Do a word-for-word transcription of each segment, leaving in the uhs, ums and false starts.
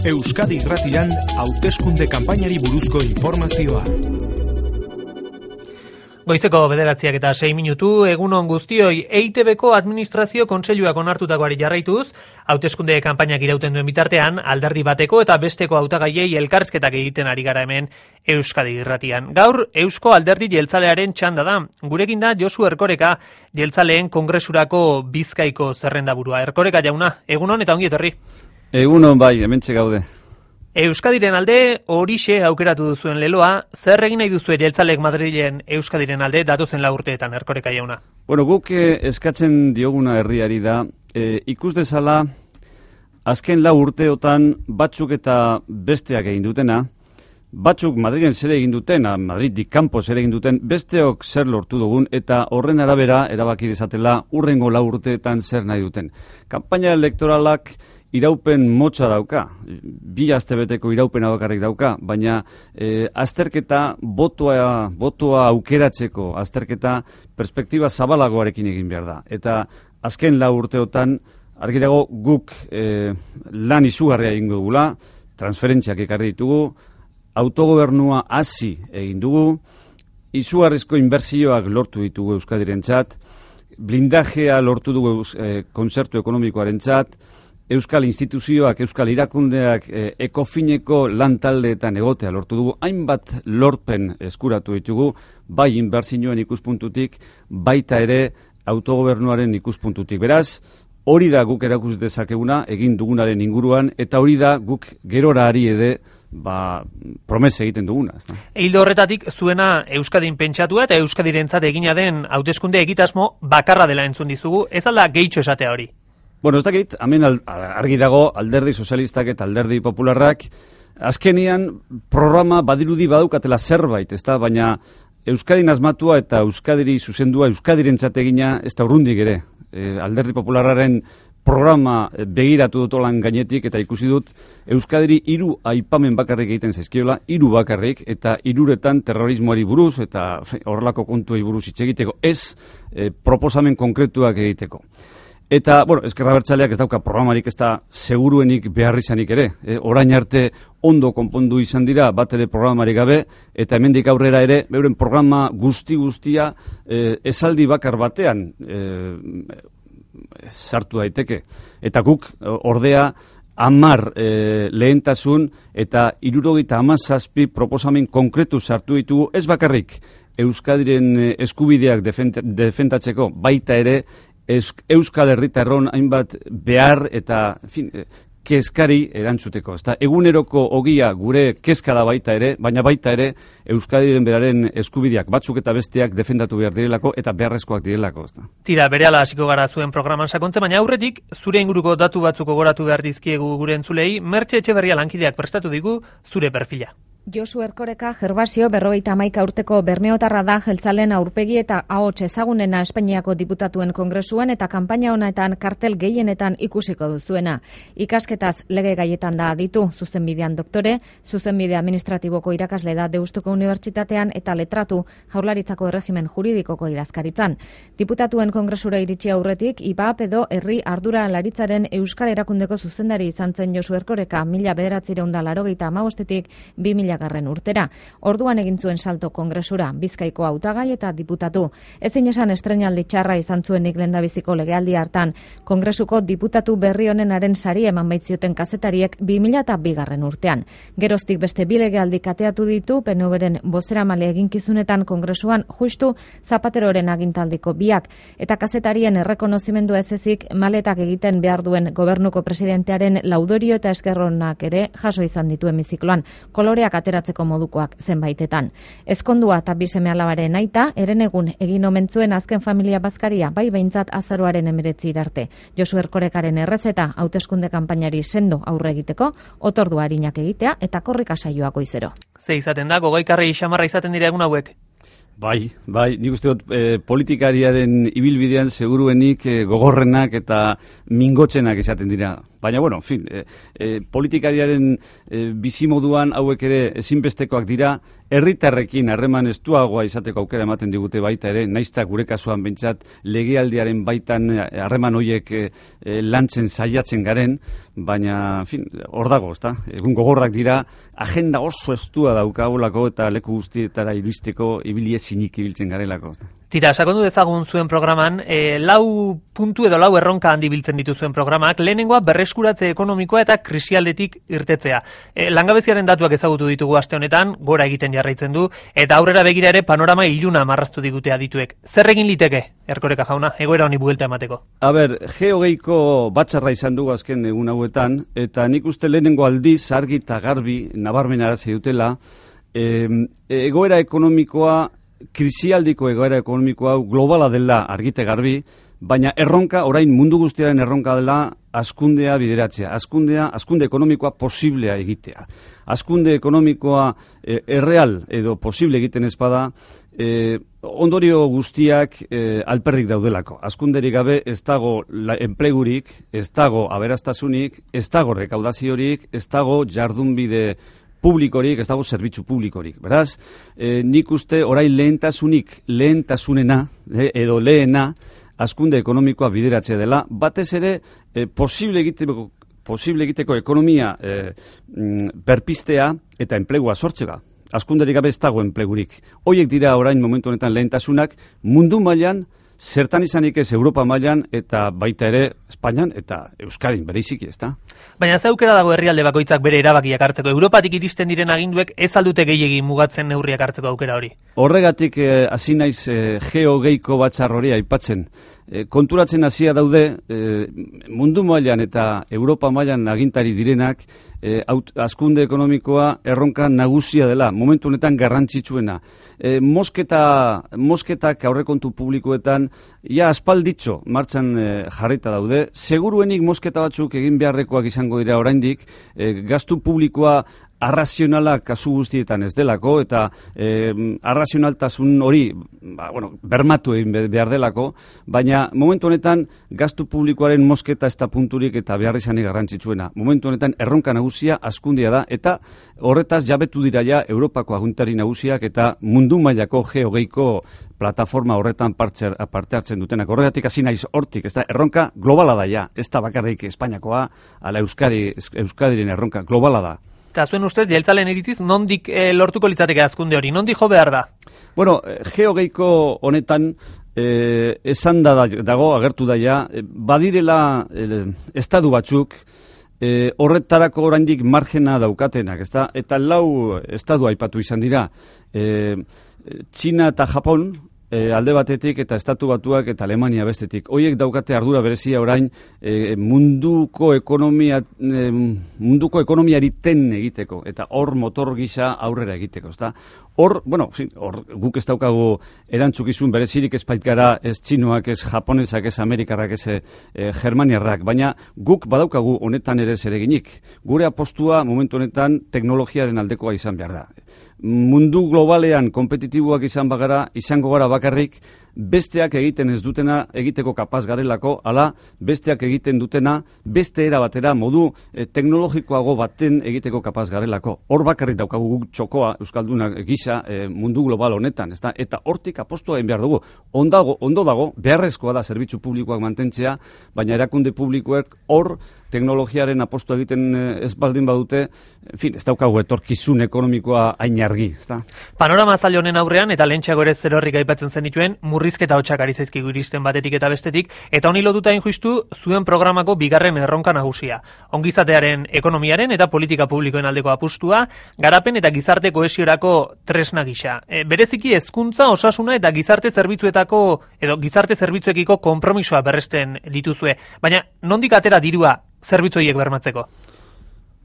Euskadi Irratian hauteskunde kanpainari buruzko informazioa. Goizeko bederatziak eta sei minutu, egunon guztioi, E I Te Beko Administrazio Kontseiluak onartutakoari jarraituz, hauteskunde kanpainak irauten duen bitartean, alderdi bateko eta besteko hautagaiei elkarrizketak egiten ari gara hemen Euskadi Irratian. Gaur, Eusko Alderdi Jeltzalearen txanda da. Gurekin da Josu Erkoreka, Jeltzaleen Kongresurako Bizkaiko zerrendaburua. Erkoreka jauna, egunon eta ongi etorri. Egunon bai, hementxe gaude. Euskadiren alde horixe aukeratu duzuen leloa, zer egin nahi duzue Jeltzaleek Madrilen Euskadiren alde datozen lau urteetan, Erkoreka jauna? Bueno, guk eh, eskatzen dioguna herriari da, eh, ikus dezala, azken lau urteotan batzuk eta besteak egin dutena, batzuk Madrilen zer egin duten, Madridik kanpo zer egin duten, besteok zer lortu dugun, eta horren arabera erabaki dezatela urrengo lau urteetan zer nahi duten. Kanpaina elektoralak iraupen motza dauka, bi astebeteko iraupena bakarrik dauka, baina e, azterketa botoa, botoa aukeratzeko azterketa perspektiba zabalagoarekin egin behar da. Eta azken lau urteotan, argi dago guk e, lan izugarria egingo dugula, transferentziak ekarri ditugu, autogobernua hasi egin dugu, izugarrizko inbertsioak lortu ditugu Euskadirentzat, blindajea lortu dugu e, kontzertu ekonomikoarentzat, Euskal instituzioak, Euskal irakundeak, e, ekofineko lantaldeetan egotea lortu dugu, hainbat lorpen eskuratu ditugu, bai inbertsioen ikuspuntutik, baita ere autogobernuaren ikuspuntutik. Beraz, hori da guk erakus dezakeguna, egin dugunaren inguruan, eta hori da guk gerora ari ede, ba, promesa egiten duguna. Hildo horretatik, zuena Euskadin pentsatua eta Euskadirentzat egina den hauteskunde egitasmo bakarra dela entzun dizugu, ez alda gehitxo esatea hori? Bueno, ez dakit, hemen argi dago alderdi sozialistak eta alderdi popularrak, azkenian programa badirudi badukatela zerbait, ez da, baina Euskadin asmatua eta Euskadiri zuzendua Euskadirentzat egina ez da urrundik ere. E, alderdi popularraren programa begiratu dutolan gainetik eta ikusi dut Euskadiri hiru aipamen bakarrik egiten zaizkiola, hiru bakarrik, eta hiruretan terrorismoari buruz eta horrelako kontuei buruz hitz egiteko, ez e, proposamen konkretuak egiteko. Eta, bueno, Ezker Abertzaleak ez dauka programarik, ez da seguruenik behar izanik ere. E, orain arte ondo konpondu izan dira, bat ere programarik gabe, eta hemendik aurrera ere, beuren programa guzti-guztia e, esaldi bakar batean e, sartu daiteke. Eta guk, ordea, hamar e, lehentasun eta hirurogeita hamazazpi proposamen konkretu sartu ditugu, ez bakarrik Euskadiren eskubideak defendatzeko, baita ere, Euskal Herritarron hainbat behar eta en fin, kezkari erantzuteko. Ezta eguneroko ogia gure kezka da baita ere, baina baita ere Euskadiren beraren eskubideak batzuk eta besteak defendatu behar direlako eta beharrezkoak direlako. Ezta. Tira, berehala hasiko gara zuen programan sakontze, baina aurretik zure inguruko datu batzuk gogoratu behar dizkiegu gure entzulei, Mertxe Etxeberria lankideak prestatu digu zure perfila. Josu Erkoreka Gervasio berrogeita hamaika urteko bermeotarra da Jeltzaleen aurpegi eta ahots ezagunena Espainiako diputatuen kongresuan eta kanpaina honetan kartel gehienetan ikusiko duzuena. Ikasketaz lege gaietan da aditu, zuzenbidean doktore, zuzenbide administratiboko irakasle da Deustuko Unibertsitatean eta letratu Jaurlaritzako erregimen juridikoko idazkaritzan. Diputatuen kongresura iritsi aurretik I B A P edo Herri Ardura Laritzaren Euskal Erakundeko zuzendari izan zen Josu Erkoreka mila bederatziehun eta laurogeita hamabostetik bi mila garren urtera. Orduan egin zuen salto kongresura, Bizkaiko hautagai eta diputatu. Ezin esan estrenaldi txarra izan zuenik lehendabiziko legealdi hartan, kongresuko diputatu berri honenaren sari eman baitzioten kazetariek bi mila bi garren urtean. Geroztik beste bi legealdi kateatu ditu P N V-ren bozeramale eginkizunetan kongresuan justu Zapateroren agintaldiko biak, eta kazetarien errekonozimendu ez ezik maletak egiten behar duen gobernuko presidentearen laudorio eta eskerronak ere jaso izan ditu hemizikloan, koloreak ateratzeko modukoak zenbaitetan. Ezkondua eta bi seme alabaren aita, herenegun egin omen zuen azken familia bazkaria, bai behintzat azaroaren hemeretzi arte. Josu Erkorekaren errezeta hauteskunde kanpainari sendo aurre egiteko, otordu arinak egitea eta korrika saioako izero. Ze izaten da, gogaikarri xamarra izaten dira egun hauek? Bai, bai, nik uste dut e, politikariaren ibilbidean seguruenik e, gogorrenak eta mingotzenak esaten dira. Baina, bueno, en fin, e, e, politikariaren e, bizimoduan hauek ere ezinbestekoak dira, herritarrekin harreman estuagoa izateko aukera ematen digute baita ere, naizta gure kasuan bentsat legealdiaren baitan harreman horiek e, e, lantzen saiatzen garen, baina, en fin, hor dago, ezta? Egun gogorrak dira, agenda oso estua daukagolako eta leku guztietara iristeko ibili ezinik ibiltzen garelako. Tira, sakondu dezagun zuen programan, e, lau puntu edo lau erronka handi biltzen dituzuen programak, lehenengoa berreskuratze ekonomikoa eta krisialdetik irtetzea. E, langabeziaren datuak ezagutu ditugu aste honetan, gora egiten jarraitzen du, eta aurrera begira ere panorama iluna marraztu digute adituek. Zer egin liteke, Erkoreka jauna, egoera honi buelta emateko? A ber, G hogeiko batzarra izan dugu azken egun hauetan, eta nik uste lehenengo aldiz argi eta garbi nabarmen arazi dutela, e, egoera ekonomikoa, krisialdiko egoera ekonomikoa globala dela argite garbi, baina erronka, orain mundu guztiaren erronka dela hazkundea bideratzea, hazkundea, hazkunde ekonomikoa posiblea egitea. Hazkunde ekonomikoa e, erreal edo posible egiten ez bada, e, ondorio guztiak e, alperrik daudelako. Hazkunderik gabe ez dago la, enplegurik, ez dago aberastasunik, ez dago rekaudaziorik, ez dago jardunbide publikorik, ez dago zerbitzu publikorik. Beraz, eh, nik uste orain lehentasunik, lehentasunena, eh, edo lehena, hazkunde ekonomikoa bideratzea dela, batez ere eh, posible egiteko, posible egiteko ekonomia eh, berpistea eta enplegua sortzea. Hazkunderik gabe ez dago enplegurik. Hoiek dira orain momentu honetan lehentasunak mundu mailan, zertan izanik ez Europa mailan eta baita ere Espainian eta Euskadin bereziki, ezta? Baina ze aukera dago herrialde bakoitzak bere erabakiak hartzeko? Europatik iristen diren aginduek ez aldute gehiegi mugatzen neurriak hartzeko aukera hori? Horregatik hasi eh, naiz eh, G hogeiko batzar hori aipatzen. Eh, konturatzen hasia daude eh, mundu mailan eta Europa mailan agintari direnak eh, hazkunde ekonomikoa erronka nagusia dela, momentu honetan garrantzitsuena. Eh, mosketa, mosketak aurrekontu publikoetan ja aspalditxo martxan eh, jarrita daude. Seguruenik mosketa batzuk egin beharrekoak izango dira oraindik, eh, gastu publikoa arrazionala kasu guztietan ez delako, eta eh, arrazionaltasun hori ba, bueno, bermatu egin behar delako, baina momentu honetan gastu publikoaren mosketa ez da punturik eta behar izanik garrantzitsuena. Momentu honetan erronka nagusia hazkundea da, eta horretaz jabetu dira ja Europako aguntari nagusiak eta mundu mailako G hogeiko plataforma horretan parte hartzen dutenak. Horregatik hasi naiz hortik, ez da, erronka globala da ja, ez da bakarrik Espainiakoa, ala Euskadi, Euskadiren erronka globala da. Eta zuen ustez, jeltzalen iritziz, nondik e, lortuko litzateke hazkunde hori? Nondik jo behar da? Bueno, G hogeiko honetan e, esan da dago, agertu daia, badirela e, estadu batzuk, e, horretarako oraindik margena daukatenak, ezta? Eta lau estadu aipatu izan dira, e, Txina eta Japon, E, alde batetik eta estatu batuak eta Alemania bestetik. Hoiek daukate ardura berezia orain e, munduko ekonomia e, munduko ekonomiari ten egiteko eta hor motor gisa aurrera egiteko, ezta? Hor, bueno, hor guk ez daukagu erantzukizun berezirik ez baitkara ez txinoak, ez japonesak, ez amerikarrak, ez e, germaniarrak, baina guk badaukagu honetan ere zereginik. Gure apostua momentu honetan teknologiaren aldekoa izan behar da. Mundu globalean kompetitiboak izan bagara, izango gara bakarrik, besteak egiten ez dutena egiteko kapaz garelako, ala besteak egiten dutena beste era batera modu eh, teknologikoago baten egiteko kapaz garelako. Hor bakarrik daukagu guk txokoa Euskaldunak gisa eh, mundu global honetan, ezta? Eta hortik apostua egin behar dugu. Ondago, ondo dago, beharrezkoa da zerbitzu publikoak mantentzea, baina erakunde publikoek hor teknologiaren apostu egiten ez baldin badute, en fin, ez daukagu etorkizun ekonomikoa hain argi, ezta? Panorama zail honen aurrean, eta lehentxeago ere zerorrik aipatzen zenituen, murrizketa hotxak ari zaizkigu iristen batetik eta bestetik, eta honi lotuta injustu zuen programako bigarren erronka nagusia. Ongizatearen, ekonomiaren eta politika publikoen aldeko apustua, garapen eta gizarte kohesiorako tresna gisa. E, bereziki hezkuntza, osasuna eta gizarte zerbitzuetako edo gizarte zerbitzuekiko konpromisoa berresten dituzue. Baina nondik atera dirua zerbitzu horiek bermatzeko?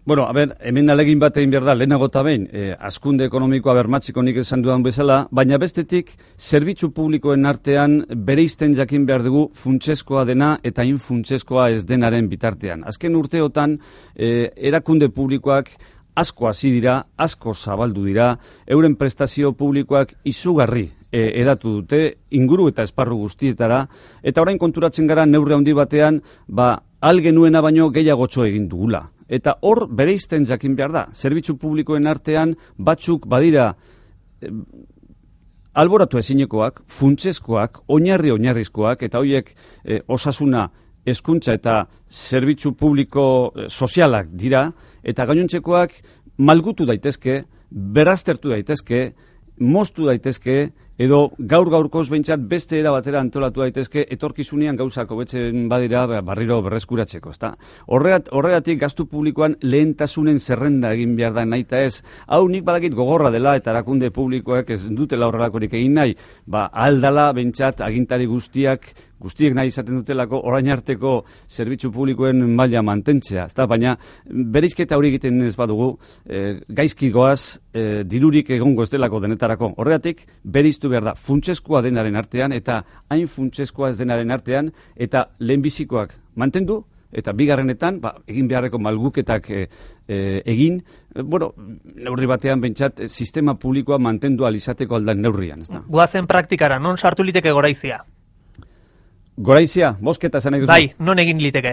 Bueno, a ber, hemen alegin bat egin behar da, lehenago eta behin, eh, hazkunde ekonomikoa bermatzeko nik esan dudan bezala, baina bestetik, zerbitzu publikoen artean bereizten jakin behar dugu funtsezkoa dena eta infuntsezkoa ez denaren bitartean. Azken urteotan, eh, erakunde publikoak asko hasi dira, asko zabaldu dira, euren prestazio publikoak izugarri e, edatu dute inguru eta esparru guztietara, eta orain konturatzen gara neurri handi batean, ba, ahal genuena baino gehiagotxo egin dugula. Eta hor bereizten jakin behar da. Zerbitzu publikoen artean batzuk badira e, alboratu ezinekoak, funtsezkoak, oinarri oinarrizkoak, eta horiek e, osasuna, hezkuntza eta zerbitzu publiko e, sozialak dira, eta gainontzekoak malgutu daitezke, beraztertu daitezke, moztu daitezke, edo gaur gaurkoz behintzat beste era batera antolatu daitezke etorkizunean gauzak hobetzen badira barriro berreskuratzeko, ezta? Horregat, horregatik gastu publikoan lehentasunen zerrenda egin behar da nahi eta ez. Hau nik badakit gogorra dela eta erakunde publikoak ez dutela horrelakorik egin nahi, ba aldala behintzat agintari guztiak guztiek nahi izaten dutelako orain arteko zerbitzu publikoen maila mantentzea, ezta? Baina bereizketa hori egiten ez badugu, e, gaizki goaz, e, dirurik egongo ez delako denetarako. Horregatik bereiztu behar da funtsezkoa denaren artean eta hain funtsezkoa ez denaren artean eta lehenbizikoak mantendu eta bigarrenetan ba, egin beharreko malguketak e, e, egin, e, bueno, neurri batean bentsat sistema publikoa mantendu alizateko aldan neurrian, ezta? Goazen praktikara, non sartu liteke Goraizia? Goraizia, bosketa esan nahi duzu? Bai, non egin liteke?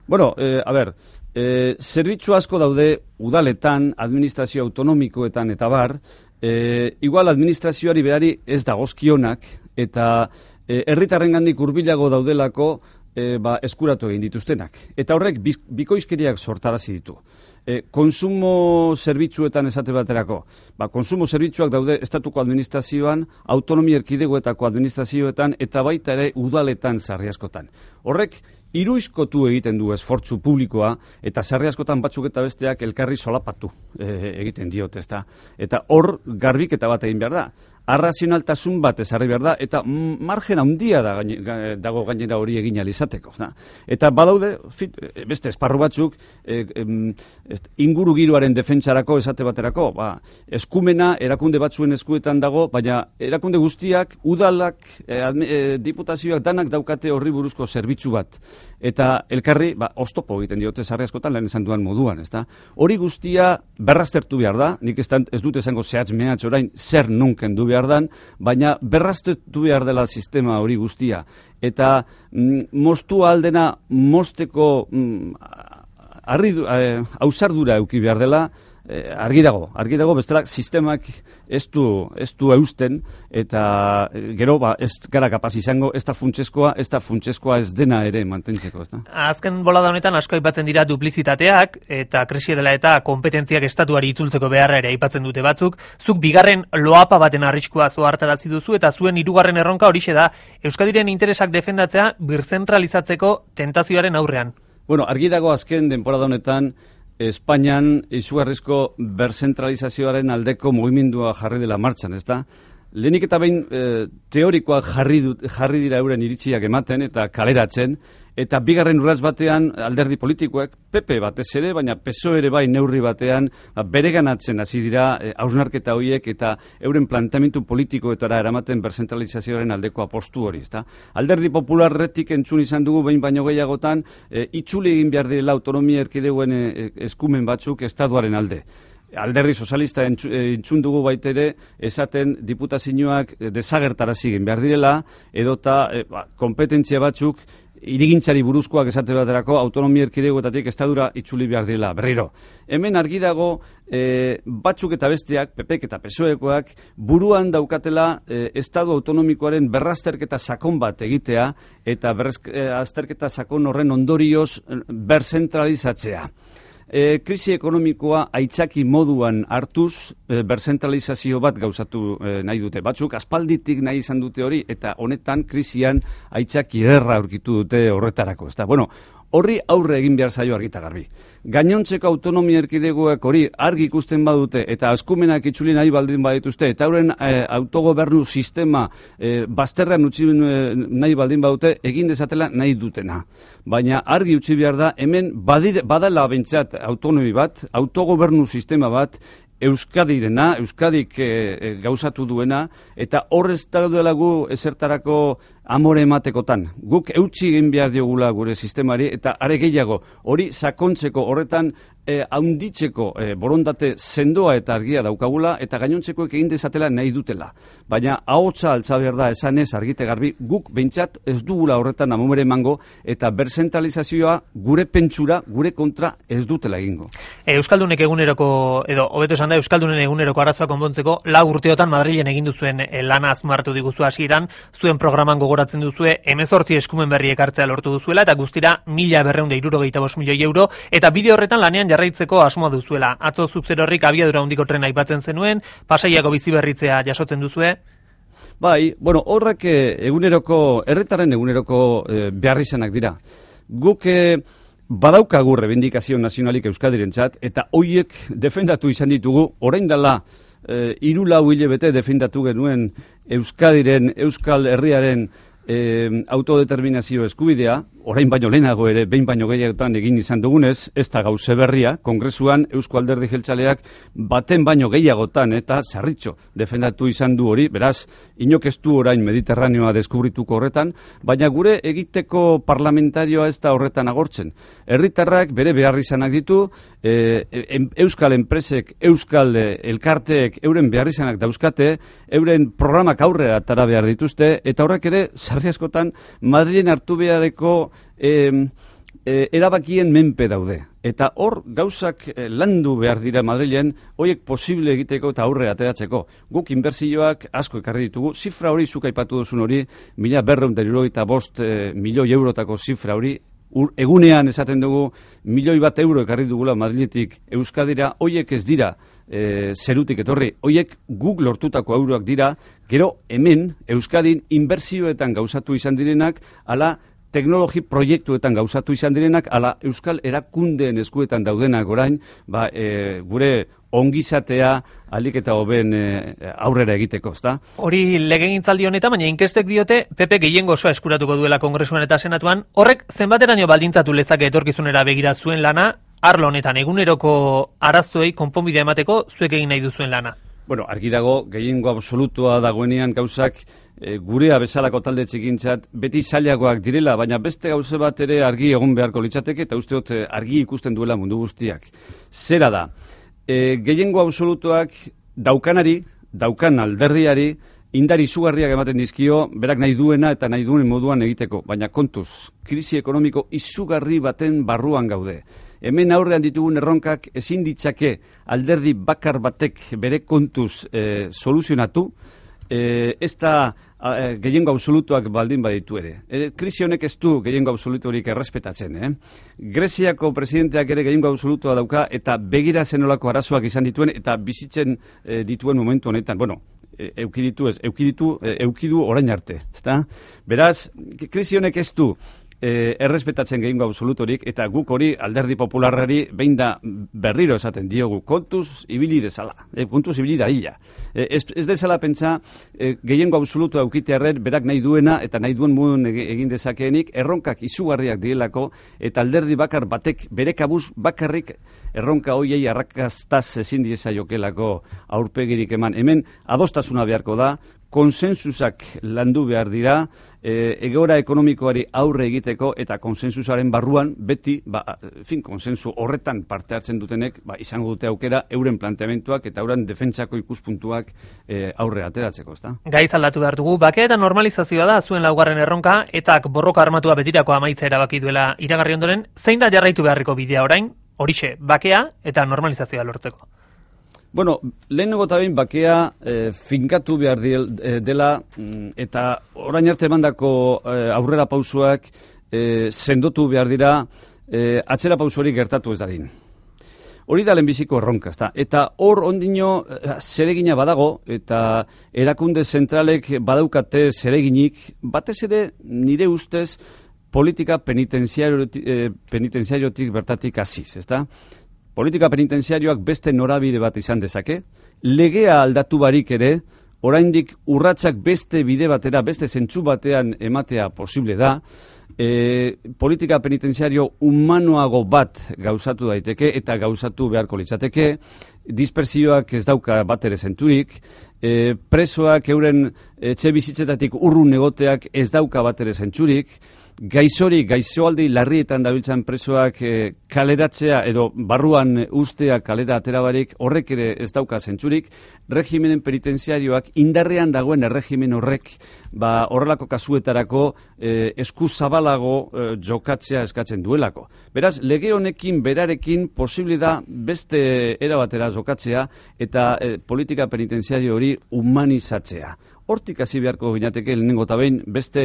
Bueno, eh, a ber, eh, zerbitzu asko daude udaletan, administrazio autonomikoetan eta bar, eh, igual administrazioari berari ez dagozkionak eta eh, herritarrengandik hurbilago daudelako eh, ba, eskuratu egin dituztenak. Eta horrek biz, bikoizkeriak sortarazi ditu. E, konsumo zerbitzuetan esate baterako. Ba, konsumo zerbitzuak daude estatuko administrazioan, autonomia erkidegoetako administrazioetan eta baita ere udaletan sarri askotan. Horrek iruizkotu egiten du esfortzu publikoa eta sarri askotan batzuk eta besteak elkarri solapatu e, egiten diote, ezta. Eta hor garbiketa bat egin behar da. Arrazionaltasun bat ezarri behar da, eta margen handia da, gaine, dago gainera hori egin alizateko. Na? Eta badaude, fit, beste esparru batzuk, e, em, est, inguru giroaren defentsarako esate baterako, ba, eskumena erakunde batzuen eskuetan dago, baina erakunde guztiak, udalak, e, e, diputazioak danak daukate horri buruzko zerbitzu bat. Eta elkarri, ba, oztopo egiten diote sarri askotan lehen esan duan moduan, ezta? Hori guztia berraztertu behar da, nik ez, ez dut esango zehatz mehatz orain zer nunken du behar dan, baina berraztertu behar dela sistema hori guztia. Eta mm, moztu aldena mozteko mm, arri, eh, ausardura euki behar dela, Eh, argi dago, argi dago bestela sistemak ez du, ez du eusten eta eh, gero ba, ez gara kapaz izango ez da funtsezkoa, ez da funtsezkoa ez dena ere mantentzeko, ez da? Azken bolada honetan asko aipatzen dira duplizitateak eta krisi dela eta kompetentziak estatuari itzultzeko beharra ere aipatzen dute batzuk. Zuk bigarren loapa baten arriskua zohartarazi duzu eta zuen hirugarren erronka horixe da Euskadiren interesak defendatzea birzentralizatzeko tentazioaren aurrean. Bueno, argi dago azken denborada honetan Espainian izugarrizko berzentralizazioaren aldeko mugimendua jarri dela martxan, ez da? Lehenik eta behin e, teorikoak jarri, dut, jarri dira euren iritziak ematen eta kaleratzen, eta bigarren urrats batean alderdi politikoek, P P batez ere, baina P S O E ere bai neurri batean, ba, bereganatzen hasi dira e, hausnarketa horiek eta euren planteamendu politikoetara eramaten berzentralizazioaren aldeko apostu hori, ezta? Alderdi popularretik entzun izan dugu behin baino gehiagotan, e, itzuli egin behar direla autonomia erkidegoen e, eskumen batzuk estatuaren alde. Alderdi sozialista entzun dugu baitere esaten diputazioak desagertarazi egin behar direla, edota e, ba, kompetentzia batzuk irigintzari buruzkoak esate baterako autonomia erkidegoetatik estadura itzuli behar direla, berriro. Hemen argi dago e, batzuk eta besteak, P Pek eta P S O Ekoak, buruan daukatela e, estadu autonomikoaren berrazterketa sakon bat egitea eta berrazterketa sakon horren ondorioz berzentralizatzea. E, krisi ekonomikoa aitzaki moduan hartuz e, berzentralizazio bat gauzatu e, nahi dute. Batzuk aspalditik nahi izan dute hori eta honetan krisian aitzaki ederra aurkitu dute horretarako. Ezta? Bueno, horri aurre egin behar zaio argita garbi. Gainontzeko autonomia erkidegoak hori argi ikusten badute eta eskumenak itzuli nahi baldin badituzte eta euren e, autogobernu sistema e, bazterrean utzi nahi baldin badute egin dezatela nahi dutena. Baina argi utzi behar da hemen badire, badala bentsat autonomi bat, autogobernu sistema bat, Euskadirena, Euskadik e, e, gauzatu duena, eta horrez daudela gu ezertarako amore ematekotan. Guk eutsi egin behar diogula gure sistemari, eta are gehiago, hori sakontzeko horretan e, haunditzeko e, borondate sendoa eta argia daukagula, eta gainontzekoek egin dezatela nahi dutela. Baina ahotsa altza behar da esanez argite garbi, guk behintzat ez dugula horretan amomere emango, eta berzentralizazioa gure pentsura, gure kontra ez dutela egingo. Euskaldunek eguneroko, edo hobeto esan da, Euskaldunen eguneroko arazoa konpontzeko, lau urteotan Madrilen egin duzuen lana azmartu diguzu hasieran, zuen programan gogoratzen duzue, hemezortzi eskumen berri ekartzea lortu duzuela, eta guztira mila berrehun eta hirurogeita bost milioi euro, eta bide horretan lanean jarraitzeko asmoa duzuela. Atzo zuk zerorrik abiadura handiko trena aipatzen zenuen, Pasaiako bizi berritzea jasotzen duzue? Bai, bueno, horrek eguneroko, herritarren eguneroko e, beharrizanak dira. Guk e, badaukagu rebendikazio nazionalik Euskadirentzat, eta hoiek defendatu izan ditugu, orain dela e, hiru lau hilabete defendatu genuen Euskadiren, Euskal Herriaren e, autodeterminazio eskubidea, orain baino lehenago ere, behin baino gehiagotan egin izan dugunez, ez da gauze berria, Kongresuan Eusko Alderdi Jeltzaleak baten baino gehiagotan eta sarritxo defendatu izan du hori, beraz, inok ez du orain Mediterraneoa deskubrituko horretan, baina gure egiteko parlamentarioa ez da horretan agortzen. Herritarrak bere beharrizanak ditu, e, Euskal enpresek, Euskal elkarteek euren beharrizanak dauzkate, euren programak aurrera atara behar dituzte, eta horrek ere, sarri askotan, Madrilen hartu beharreko E, e, erabakien menpe daude. Eta hor gauzak e, landu behar dira Madrilen, horiek posible egiteko eta aurre ateratzeko. Guk inbertsioak asko ekarri ditugu, zifra hori zuk aipatu duzun hori, mila berrehun eta hirurogeita bost e, milioi eurotako zifra hori, ur, egunean esaten dugu milioi bat euro ekarri dugula Madriletik Euskadira, horiek ez dira e, zerutik etorri, horiek guk lortutako euroak dira, gero hemen Euskadin inbertsioetan gauzatu izan direnak, ala teknologi proiektuetan gauzatu izan direnak, ala Euskal erakundeen eskuetan daudenak orain, ba, e, gure ongizatea alik eta hoben e, aurrera egiteko, ezta? Hori legegintzaldi honetan, baina inkestek diote P P gehiengo osoa eskuratuko duela Kongresuan eta Senatuan, horrek zenbateraino baldintzatu lezake etorkizunera begira zuen lana, arlo honetan eguneroko arazoei konponbidea emateko zuek egin nahi duzuen lana? Bueno, argi dago, gehiengo absolutua dagoenean gauzak e, gurea bezalako talde txikintzat beti zailagoak direla, baina beste gauze bat ere argi egon beharko litzateke, eta uste dut argi ikusten duela mundu guztiak. Zera da, e, gehiengo absolutuak daukanari, daukan alderdiari, indar izugarriak ematen dizkio, berak nahi duena eta nahi duen moduan egiteko, baina kontuz, krisi ekonomiko izugarri baten barruan gaude. Hemen aurrean ditugun erronkak ezin ditzake alderdi bakar batek bere kontuz e, soluzionatu, e, ez da e, gehiengo absolutuak baldin baditu ere. E, krisi honek ez du gehiengo absoluturik errespetatzen. Eh? Greziako presidenteak ere gehiengo absolutua dauka eta begira zenolako arazoak izan dituen eta bizitzen e, dituen momentu honetan. Bueno, eukiditu ez, eukiditu, eukidu orain arte, ezta? Beraz, krisi honek ez du E, errespetatzen gehiengo absolutorik, eta guk hori alderdi popularrari behin da berriro esaten diogu, kontuz ibili dezala, e, kontuz ibili daila. E, ez, ez dezala pentsa e, gehiengo absolutua eukitearren berak nahi duena eta nahi duen modun egin dezakeenik, erronkak izugarriak direlako, eta alderdi bakar batek bere kabuz bakarrik erronka hoiei arrakastaz ezin dieza jokelako aurpegirik eman. Hemen adostasuna beharko da, konsensusak landu behar dira, e, egoera ekonomikoari aurre egiteko eta konsensusaren barruan beti, ba, fin, konsensu horretan parte hartzen dutenek, ba, izango dute aukera euren planteamentuak eta euren defentsako ikuspuntuak e, aurre ateratzeko, ezta? Gaiz aldatu behar dugu, bakea eta normalizazioa da zuen laugarren erronka, eta borroka armatua betirako amaitza erabaki duela iragarri ondoren, zein da jarraitu beharriko bidea orain, horixe, bakea eta normalizazioa lortzeko? Bueno, lehenengo eta behin bakea e, finkatu behar dela eta orain arte emandako e, aurrera pausoak e, sendotu behar dira e, atzera pauso hori gertatu ez dadin. Hori da lehenbiziko erronka, ezta? Eta hor ondino e, zeregina badago eta erakunde zentralek badaukate zereginik, batez ere nire ustez politika penitenziariotik, e, penitenziariotik bertatik hasiz, ezta? Politika penitenziarioak beste norabide bat izan dezake, legea aldatu barik ere, oraindik urratsak beste bide batera, beste zentzu batean ematea posible da, e, politika penitenziario humanoago bat gauzatu daiteke eta gauzatu beharko litzateke, dispersioak ez dauka bat ere zenturik, e, presoak euren etxe bizitzetatik urrun egoteak ez dauka bat ere zentzurik, gaizori, gaizoaldi larrietan dabiltzan presoak e, kaleratzea edo barruan ustea kalera aterabarik, horrek ere ez dauka zentzurik, regimenen penitenziarioak indarrean dagoen erregimen horrek ba, horrelako kasuetarako e, esku zabalago e, jokatzea eskatzen duelako. Beraz, lege honekin berarekin posible da beste erabatera jokatzea eta e, politika penitenziario hori humanizatzea. Hortik hasi beharko ginateke lehenengo eta behin beste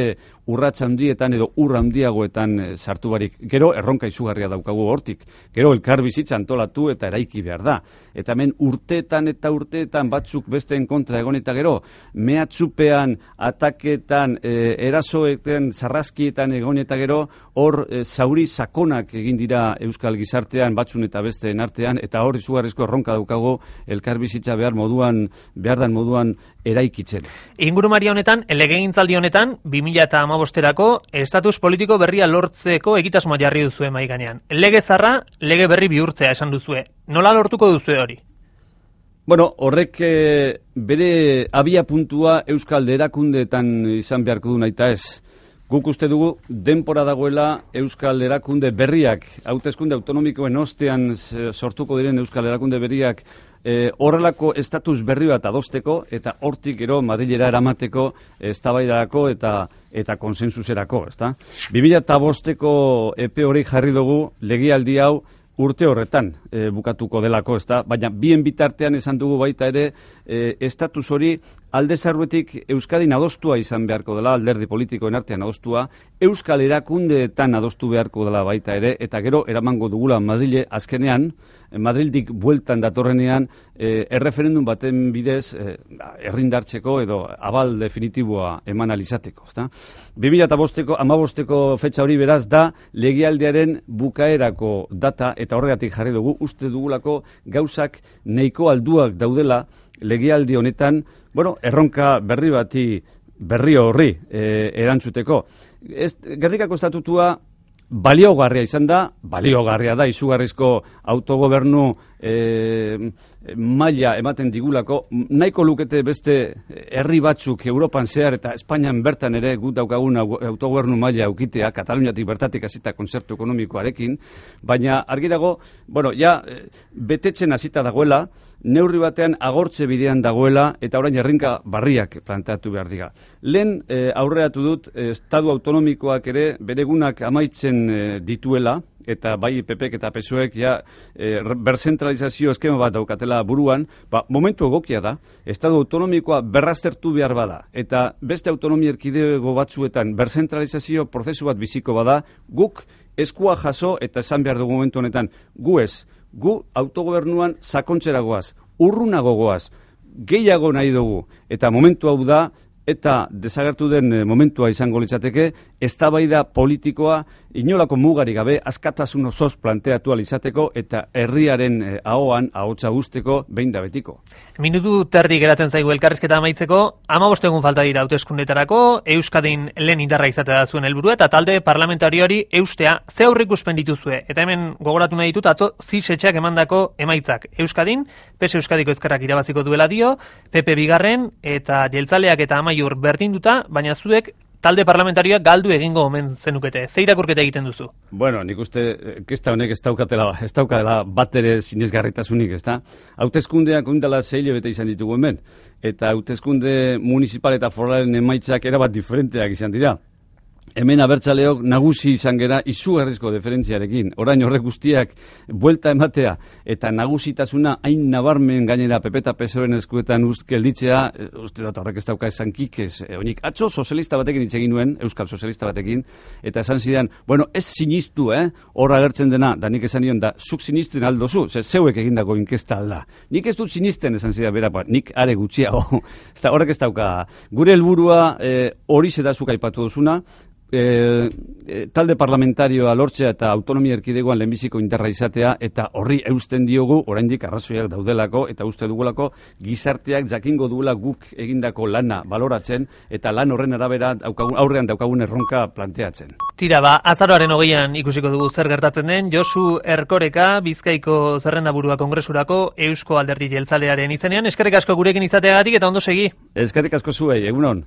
urratsa handietan edo urra handiagoetan sartu barik. Gero erronka izugarria daukagu hortik. Gero elkar bizitza antolatu eta eraiki behar da. Eta hemen urteetan eta urteetan batzuk besteen kontra egon eta gero mehatxupean, ataketan, e, erasoetan, sarraskietan egon eta gero hor e, zauri sakonak egin dira euskal gizartean batzun eta besteen artean eta hor izugarrizko erronka daukagu elkar bizitza behar moduan, behar dan moduan eraikitzen. Ingurumari honetan, legegintzaldi honetan, bi mila hamabosterako estatus politiko berria lortzeko egitasmoa jarri duzue mahai gainean. Lege zarra, lege berri bihurtzea esan duzue. Nola lortuko duzue hori? Bueno, horrek e, bere abia puntua euskal erakundeetan izan beharko du naita ez. Guk uste dugu denpora dagoela euskal erakunde berriak, hauteskunde autonomikoen ostean sortuko diren euskal erakunde berriak E, horrelako estatus berri bat adosteko eta hortik gero Madrilera eramateko eztabaidarako eta eta konsensuserako, ezta? bi mila bosteko epe hori jarri dugu legealdi hau urte horretan e, bukatuko delako, ezta? Baina bien bitartean esan dugu baita ere e, estatus hori alde zarruetik Euskadin adostua izan beharko dela, alderdi politikoen artean adostua, euskal erakundeetan adostu beharko dela baita ere, eta gero eramango dugula Madrile azkenean, Madrildik bueltan datorrenean, e, erreferendum baten bidez e, errindartzeko edo abal definitiboa eman alizateko. bi mila bosteko, hamabosteko fetxa hori beraz da legealdiaren bukaerako data eta horregatik jarri dugu, uste dugulako gauzak nahiko alduak daudela legealdi honetan, bueno, erronka berri bati, berri horri e, erantzuteko. Ez, Gernikako estatutua baliogarria izan da, baliogarria da, izugarrizko autogobernu e, maila ematen digulako, nahiko lukete beste herri batzuk Europan zehar eta Espainian bertan ere gut daukagun autogobernu maila aukitea, Kataluniatik bertatik hasita konzertu ekonomikoarekin, baina argi dago, bueno, ja, betetzen hasita dagoela, neurri batean agortze bidean dagoela eta orain errinka barriak planteatu behar diga. Lehen e, aurreatu dut, e, estatu autonomikoak ere beregunak amaitzen e, dituela, eta bai P Pek eta P S O Ek ja e, berzentralizazio eskema bat daukatela buruan, ba, momentu egokia da, estatu autonomikoa berraztertu behar bada, eta beste autonomia erkidego batzuetan berzentralizazio prozesu bat biziko bada, guk eskua jaso eta esan behar dugu momentu honetan, gu ez, gu autogobernuan sakontzeragoaz, urrunagogoaz, gehiago nahi dugu, eta momentu hau da, eta desagertu den momentua izango litzateke, eztabaida politikoa inolako mugari gabe askatasun osoz planteatu alizateko eta herriaren eh, ahoan, ahotsa guzteko, behin da betiko. Minutu terdi geratzen zaigu elkarrizketa amaitzeko, hamabost egun falta dira hauteskundetarako, Euskadin lehen indarra izatea da zuen helburua eta talde parlamentarioari eustea ze aurreikuspen dituzue. Eta hemen gogoratu nahi ditut atzo zisetxeak emandako emaitzak. Euskadin, P S Euskadiko ezkerrak irabaziko duela dio, P P bigarren eta jeltzaleak eta amaiur berdinduta, baina zuek talde parlamentarioak galdu egingo omen zenukete. Ze irakurketa egiten duzu? Bueno, nik uste, kesta honek ez daukatela, ez daukatela bat ere sinesgarritasunik, ez da? Hauteskundeak ondala zeile bete izan ditugu hemen, eta hauteskunde municipal eta foralen emaitzak erabat diferenteak izan dira. Hemen abertzaleok nagusi izan gera izugarrizko diferentziarekin. Orain horrek guztiak buelta ematea eta nagusitasuna hain nabarmen gainera P P eta P S Oren eskuetan gelditzea, uste dut horrek ez dauka esan kikez. Onik, atzo sozialista batekin hitz egin nuen, euskal sozialista batekin, eta esan zidan, bueno, ez sinistu, eh? Horra agertzen dena, da nik esan nion da, zuk sinisten aldozu, ze zeuek egindako inkesta alda. Nik ez dut sinisten esan zidan, bera, ba, nik are gutxiago. Eta horrek ez dauka. Gure helburua eh, hori zedazuk aipatu duzuna, E, e, talde parlamentarioa lortzea eta autonomia erkidegoan lehenbiziko indarra izatea eta horri eusten diogu oraindik arrazoiak daudelako eta uste dugulako gizarteak jakingo duela guk egindako lana baloratzen eta lan horren arabera daukagun, aurrean daukagun erronka planteatzen. Tira, ba, azaroaren hogeian ikusiko dugu zer gertatzen den. Josu Erkoreka, Bizkaiko zerrendaburua kongresurako Eusko Alderdi Jeltzalearen izenean. Eskerrik asko gurekin izateagatik eta ondo segi. Eskerrik asko zuei, egunon.